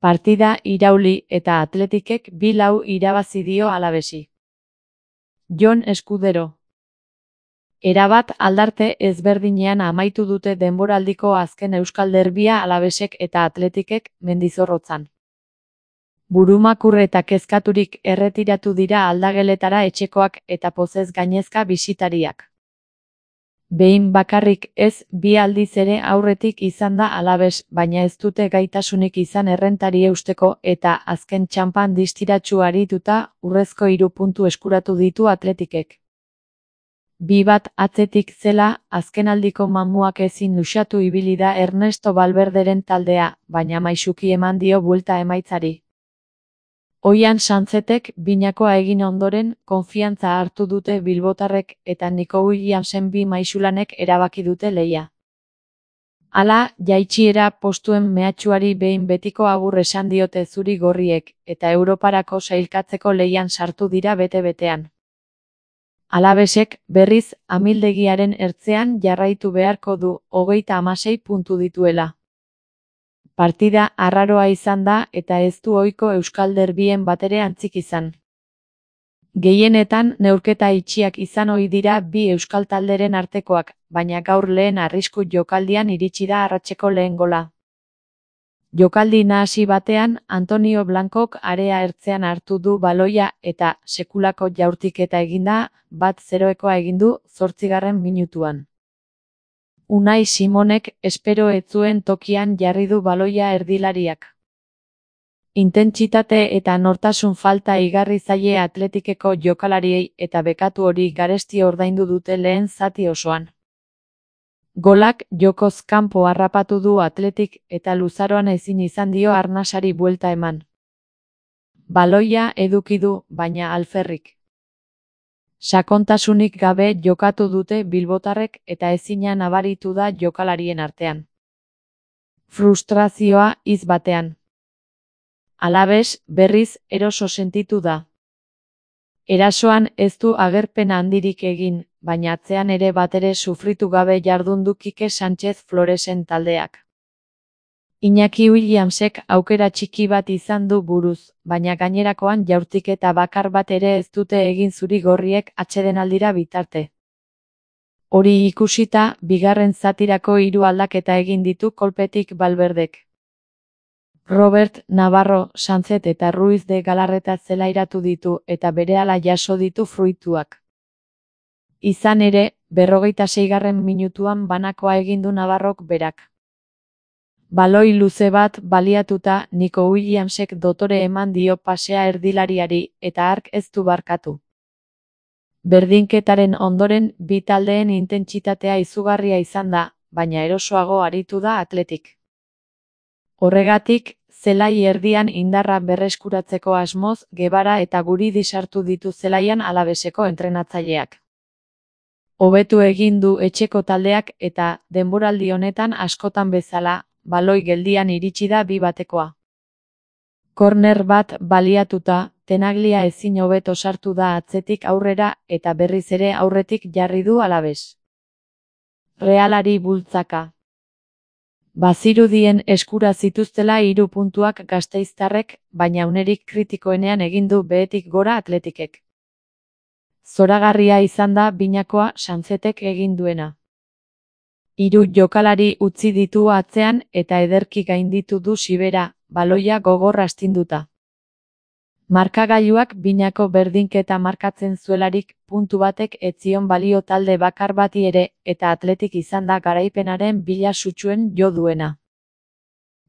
Partida irauli eta Atletikek 2-0 irabazi dio Alavesi. Jon Eskudero. Erabat aldarte ezberdinean amaitu dute denboraldiko azken euskal derbia Alavesek eta Atletikek Mendizorrotzan. Burumakur eta kezkaturik erretiratu dira aldageletara etxekoak eta pozez gainezka bisitariak. Behin bakarrik ez, 2 aldiz ere aurretik izan da Alaves, baina ez dute gaitasunik izan errentari eusteko eta azken txanpan distiratsu arituta urrezko 3 puntu eskuratu ditu Atletikek. 2-1 atzetik zela, azkenaldiko mamuak ezin luxatu ibili da Ernesto Valverderen taldea, baina maisuki eman dio buelta emaitzari. Oian Santzetek binakoa egin ondoren, konfiantza hartu dute bilbotarrek eta Nico Williamsen 2 maisulanek erabaki dute lehia. Hala, jaitsiera postuen mehatxuari behin betiko agur esan diote zuri-gorriek, eta Europarako sailkatzeko lehian sartu dira bete-betean. Alavesek, berriz, amildegiaren ertzean jarraitu beharko du, 36 puntu dituela. Partida arraroa izan da eta ez du ohiko euskal derbien batere antzik izan. Gehienetan neurketa itxiak izan ohi dira 2 euskal talderen artekoak, baina gaur lehen arrisku jokaldian iritsi da arratseko lehen gola. Jokaldi nahasi batean, Antonio Blancok area ertzean hartu du baloia eta sekulako jaurtiketa eginda, 1-0 egin du 8. minutuan. Unai Simonek espero ez zuen tokian jarri du baloia erdilariak. Intentsitate eta nortasun falta igarri zaie Atletikeko jokalariei eta bekatu hori garesti ordaindu dute lehen zati osoan. Golak jokoz kanpo harrapatu du Atletik eta luzaroan ezin izan dio arnasari buelta eman. Baloia eduki du, baina alferrik. Sakontasunik gabe jokatu dute bilbotarrek eta ezina nabaritu da jokalarien artean. Frustrazioa hitz batean. Alaves, berriz, eroso sentitu da. Erasoan ez du agerpen handirik egin, baina atzean ere batere sufritu gabe jardun du Kike Sánchez Floresen taldeak. Iñaki Williamsek aukera txiki bat izan du buruz, baina gainerakoan jaurtiketa bakar bat ere ez dute egin zuri-gorriek atsedenaldira bitarte. Hori ikusita, bigarren zatirako 3 aldaketa egin ditu kolpetik Valverdek. Robert, Navarro, Sanzet eta Ruiz de Galarreta zelairatu ditu eta berehala jaso ditu fruituak. Izan ere, 46. minutuan banakoa egin du Navarrok berak. Baloi luze bat baliatuta, Nico Williamsek dotore eman dio pasea erdilariari eta hark ez du barkatu. Berdinketaren ondoren 2 taldeen intentsitatea izugarria izan da, baina erosoago aritu da Atletik. Horregatik, zelai erdian indarra berreskuratzeko asmoz, Gebara eta Guridi sartu ditu zelaian Alaveseko entrenatzaileak. Hobetu egin du etxeko taldeak eta, denboraldi honetan askotan bezala, baloi geldian iritsi da 2-1. Korner bat baliatuta, Tenaglia ezin hobeto sartu da atzetik aurrera eta berriz ere aurretik jarri du Alaves. Realari bultzaka. Bazirudien eskura zituztela 3 puntuak gasteiztarrek, baina unerik kritikoenean egin du behetik gora Atletikek. Zoragarria izan da binakoa Santzetek egin duena. 3 jokalari utzi ditu atzean eta ederki gainditu du Sibera, baloia gogor astinduta. Markagailuak binako berdinketa markatzen zuelarik, puntu batek ez zion balio talde bakar bati ere, eta Atletik izan da garaipenaren bila sutsuen jo duena.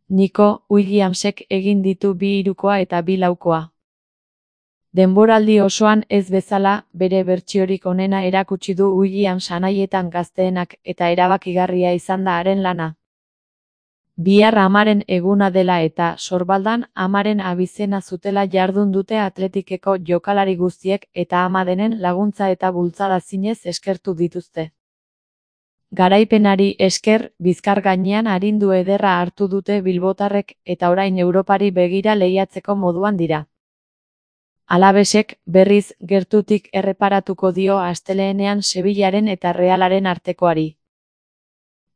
Nico Williamsek egin ditu 2-3 eta 2-4. Denboraldi osoan ez bezala, bere bertsiorik onena erakutsi du Williams anaietan gazteenak eta erabakigarria izan da haren lana. Bihar amaren eguna dela eta sorbaldan amaren abizena zutela jardun dute Atletikeko jokalari guztiek eta ama denen laguntza eta bultzada zinez eskertu dituzte. Garaipenari esker, bizkar gainean arindu ederra hartu dute bilbotarrek eta orain Europari begira lehiatzeko moduan dira. Alavesek, berriz, gertutik erreparatuko dio astelehenean Sevillaren eta Realaren artekoari.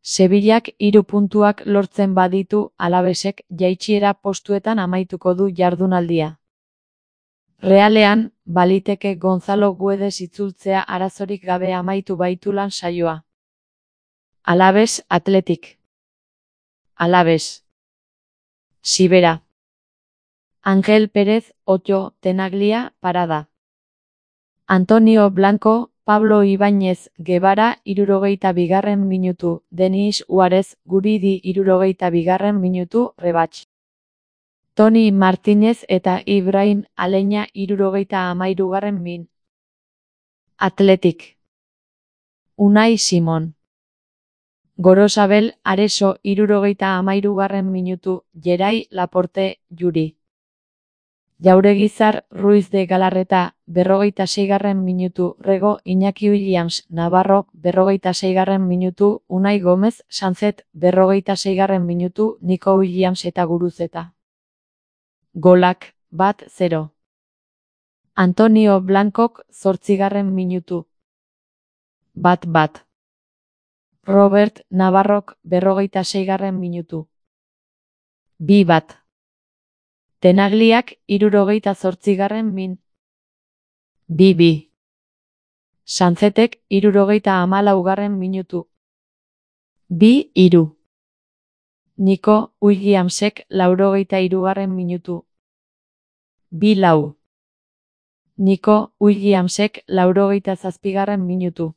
Sevillak 3 puntuak lortzen baditu Alavesek jaitsiera postuetan amaituko du jardunaldia. Realean, baliteke Gonzalo Guedes itzultzea arazorik gabe amaitu baitulan saioa. Alaves Athletic. Alaves. Sibera. Ángel Pérez, Otto, Tenaglia, Parada. Antonio Blanco, Pablo Ibáñez, Guevara, 62. minutu, Denis Suárez, Guridi, 62. minutu, Rebach. Toni Martínez eta Ibrahim Aleña, 73. min. Athletic. Unai Simon. Gorosabel Areso, 73. minutu, Gerai Laporte, Juri. Jauregizar Ruiz de Galarreta, 46. minutu, Rego Iñaki Williams Navarro, 46. minutu, Unai Gómez Sanzet, 46. minutu, Nico Williams eta Guruzeta. Golak, 1-0. Antonio Blancok, 8. minutu. 1-1. Robert Navarrok, 46. minutu. 2-1. Tenagliak, 78. min. 2-2. Sanzetek, 74. minutu. 2-3. Nico Williamsek, 83. minutu. 2-4. Nico Williamsek, 87. minutu.